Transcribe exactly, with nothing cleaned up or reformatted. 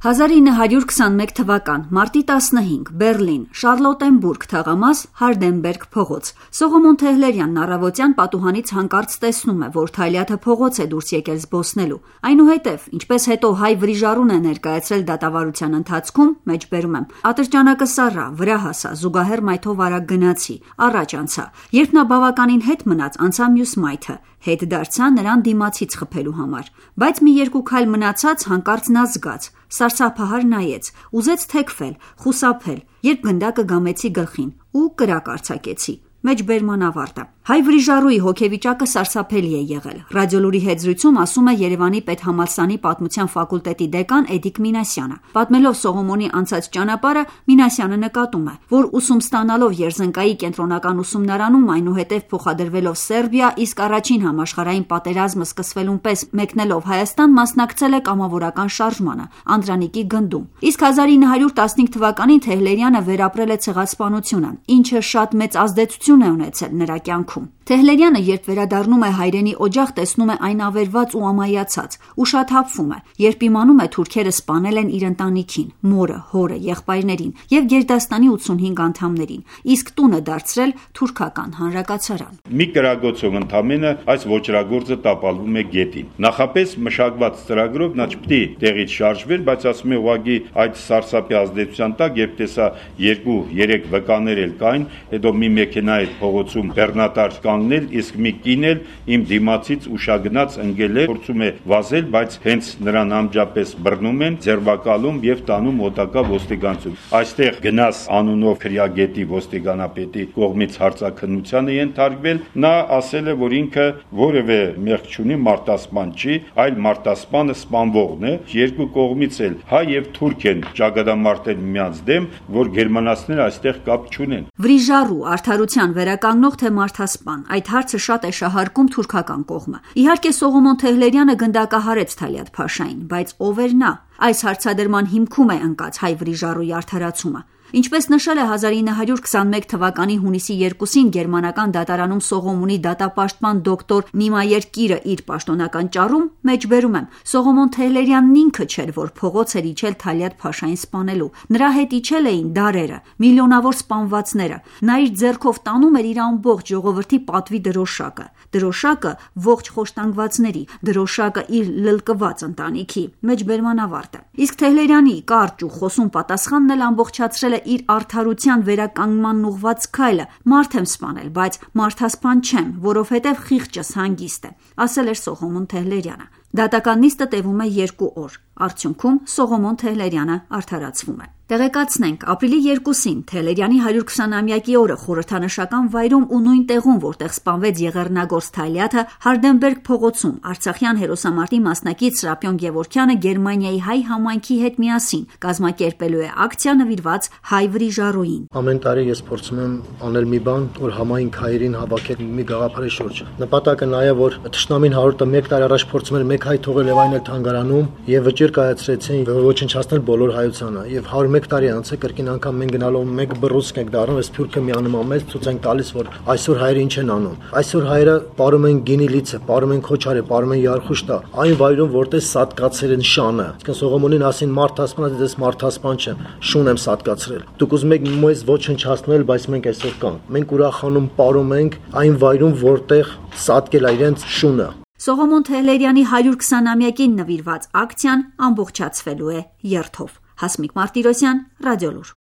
հազար ինը հարյուր քսանմեկ թվական մարտի տասնհինգ Բերլին Շարլոտենբուրգ թաղամաս Հարդենբերգ փողոց Սողոմոն Թեհլերյանն առավոտյան պատուհանից հանկարծ տեսնում է, որ Թալյաթը փողոց է դուրս եկել զբոսնելու։ Այնուհետև, ինչպես հետո հայ վրիժառուն է ներկայացրել դատավարության ընթացքում, մեջբերում եմ, ատրճանակը սառա, վրա հասա, զուգահեռ մայթով արագ գնացի, առաջ անցա։ Երբ նա բավականին հետ մնաց, անցա մյուս մայթը, հետ դարձա նրան դիմացից խփելու համար, բայց մի երկու քայլ մնացած հանկարծ նա զգաց, սարսափահար նայեց, ուզեց թեքվել, խուսափել, երբ գնդակը գամեցի գլխին ու կրակ արձակեցի։ Մեջբերման ավարտը։ Հայ վրիժառուի հոգեվիճակը սարսափելի է եղել։ Ռադիոլուրի հետ զրույցում ասում է Երևանի պետհամալսարանի պատմության ֆակուլտետի դեկան Էդիկ Մինասյանը։ Պատմելով Սողոմոնի անցած ճանապարհը, Մինասյանը նկատում է, որ ուսում ստանալով Երզնկայի կենտրոնական ուսումնարանում, այնուհետև փոխադրվելով Սերբիա, իսկ առաջին համաշխարհային պատերազմը սկսվելուն պես մեկնելով Հայաստան, մասնակցել է կամավորական շարժմանը, Անդրանիկի գնդում։ Իսկ հազար ինը հարյուր տասնհինգ թվականին Թեհլերյանը վերապրել է ցեղասպանությունը, ինչը շատ մեծ ազդեցություն է ունեցել նրա կյանքում։ Թեհլերյանը, երբ վերադառնում է հայրենի օջախ, տեսնում է այն ավերված ու ամայացած, ուշաթափվում է, երբ իմանում է թուրքերը սպանել են իր ընտանիքին, մորը, հորը, եղբայրներին եւ Գերդաստանի ութսունհինգ անդամներին, իսկ տունը դարձրել թուրքական հանրակացարան։ Մի կրագոցով ընդամենը այս ոճրագործը տապալվում է գետին։ Նախապես մշակված ծրագրով նա չպետք է տեղից շարժվեր, բայց ասում է ուղղակի այդ սարսափի ազդեցության տակ, երբ տեսա երկու երեք վկաներ էլ կային, հետո մի մեքենա այդ փողոցում բեռնատար կանգնել, իսկ մի կին էլ իմ դիմացից ուշագնաց ընկել է, փորձում է վազել, բայց հենց նրան անջապես բռնում են, ձերբակալում եւ տանում մոտակա ոստիկանություն։ Այստեղ գնաս անունով քրյագետի ոստիկանապետի կողմից հարցաքննության է ենթարկվել, նա ասել է, որ ինքը որևէ մեղք չունի, մարտասպան չի, այլ մարտասպանը սպանվողն է։ Երկու կողմից էլ հայ եւ թուրք են ճակատամարտել միմյանց դեմ, որ գերմանացիները այստեղ կապ չունեն։ Վրիժառու, արդարության վերականգնող թե մարտասպան, այդ հարցը շատ է շահարկում թուրքական կողմը։ Իհարկե Սողոմոն Թեհլերյանը գնդակահարեց Թալյաթ Փաշային, բայց ով էր նա։ Այս հարցադրման հիմքում է ընկած հայ վրիժառուի արդարացումը։ Ինչպես նշել է հազար ինը հարյուր քսանմեկ թվականի հունիսի երկուսին գերմանական դատարանում Սողոմոնի դատապաշտպան դոկտոր Նիմայեր Կիրը իր պաշտոնական ճառում, մեջբերում եմ, Սողոմոն Թեհլերյանն ինքը չէր, որ փողոց էր իջել Թալյաթ Փաշային սպանելու։ Նրա հետ իջել էին դարերը, միլիոնավոր սպանվածները։ Նա իր ձեռքով տանում էր իր ամբողջ ժողովրդի պատվի դրոշակը, դրոշակը ողջ խոշտանգվածների, դրոշակը իր լլկված ընտանիքի։ Մեջբերման ավարտը։ Իսկ Թեհլերյանի կարճ ու խոսուն պատասխանն էլ ամբողջացրել է իր արդարության վերականգնման ուղղված քայլը։ Մարդ եմ սպանել, բայց մարդասպան չեմ, որովհետև խիղճս հանգիստ է, ասել էր Սողոմոն Թեհլերյանը։ Դատական նիստը տևում է երկու օր։ Արդյունքում Սողոմոն Թեհլերյանը արդարացվում է։ Տեղեկացնենք, ապրիլի երկուսին Թեհլերյանի հարյուր քսանամյակի օրը խորհրդանշական վայրում ու նույն տեղում, որտեղ սպանվեց եղեռնագործ Թալյաթը, Հարդենբերգ փողոցում արցախյան հերոսամարտի մասնակից Սրափիոն Գևորգյանը Գերմանիայի հայ համայնքի հետ միասին կազմակերպելու է ակցիա նվիրված հայ վրիժառուին։ Ամեն տարի ես փորձում եմ անել մի բան, որ համայնք հայերին հավաքել մի գաղափարի շուրջ։ Նպատակը նա է, որ թշնամին հարյուրը մեկ տարի առաջ փորձում էր մեկ հայ թողել եւ այն էլ թանգարանում եւ վճիռ կայացրեցին ոչնչացնել բոլոր հայությանը եւ հարյուր մեկ տարի անց է կրկին անգամ մենք գնալով մեկ բռուցք ենք դառնում, այս փյուրքը միանում ամեն ցույց ենք տալիս, որ այսօր հայերը ինչ են անում։ Այսօր հայերը ապարում են գինի լիցը, ապարում են քոչարը, ապարում են Յարխուշտա, այն վայրում որտեղ սատկացել են շանը։ Իսկ Սողոմոնին ասին մարտասպան, դες մարտասպան չեմ, շուն եմ սատկացրել։ Դուք ուզում եք մեզ ոչնչացնել, բայց մենք այսօր կանք։ Մենք ուրախանում ապարում ենք այն վայրում, որտեղ սատկել է իրենց շունը։ Սողոմոն Թեհլերյանի հարյուր քսանամյակին նվիրված ակցիան ամբողջացվելու է երթով։ Հասմիկ Մարտիրոսյան, Ռադիոլուր։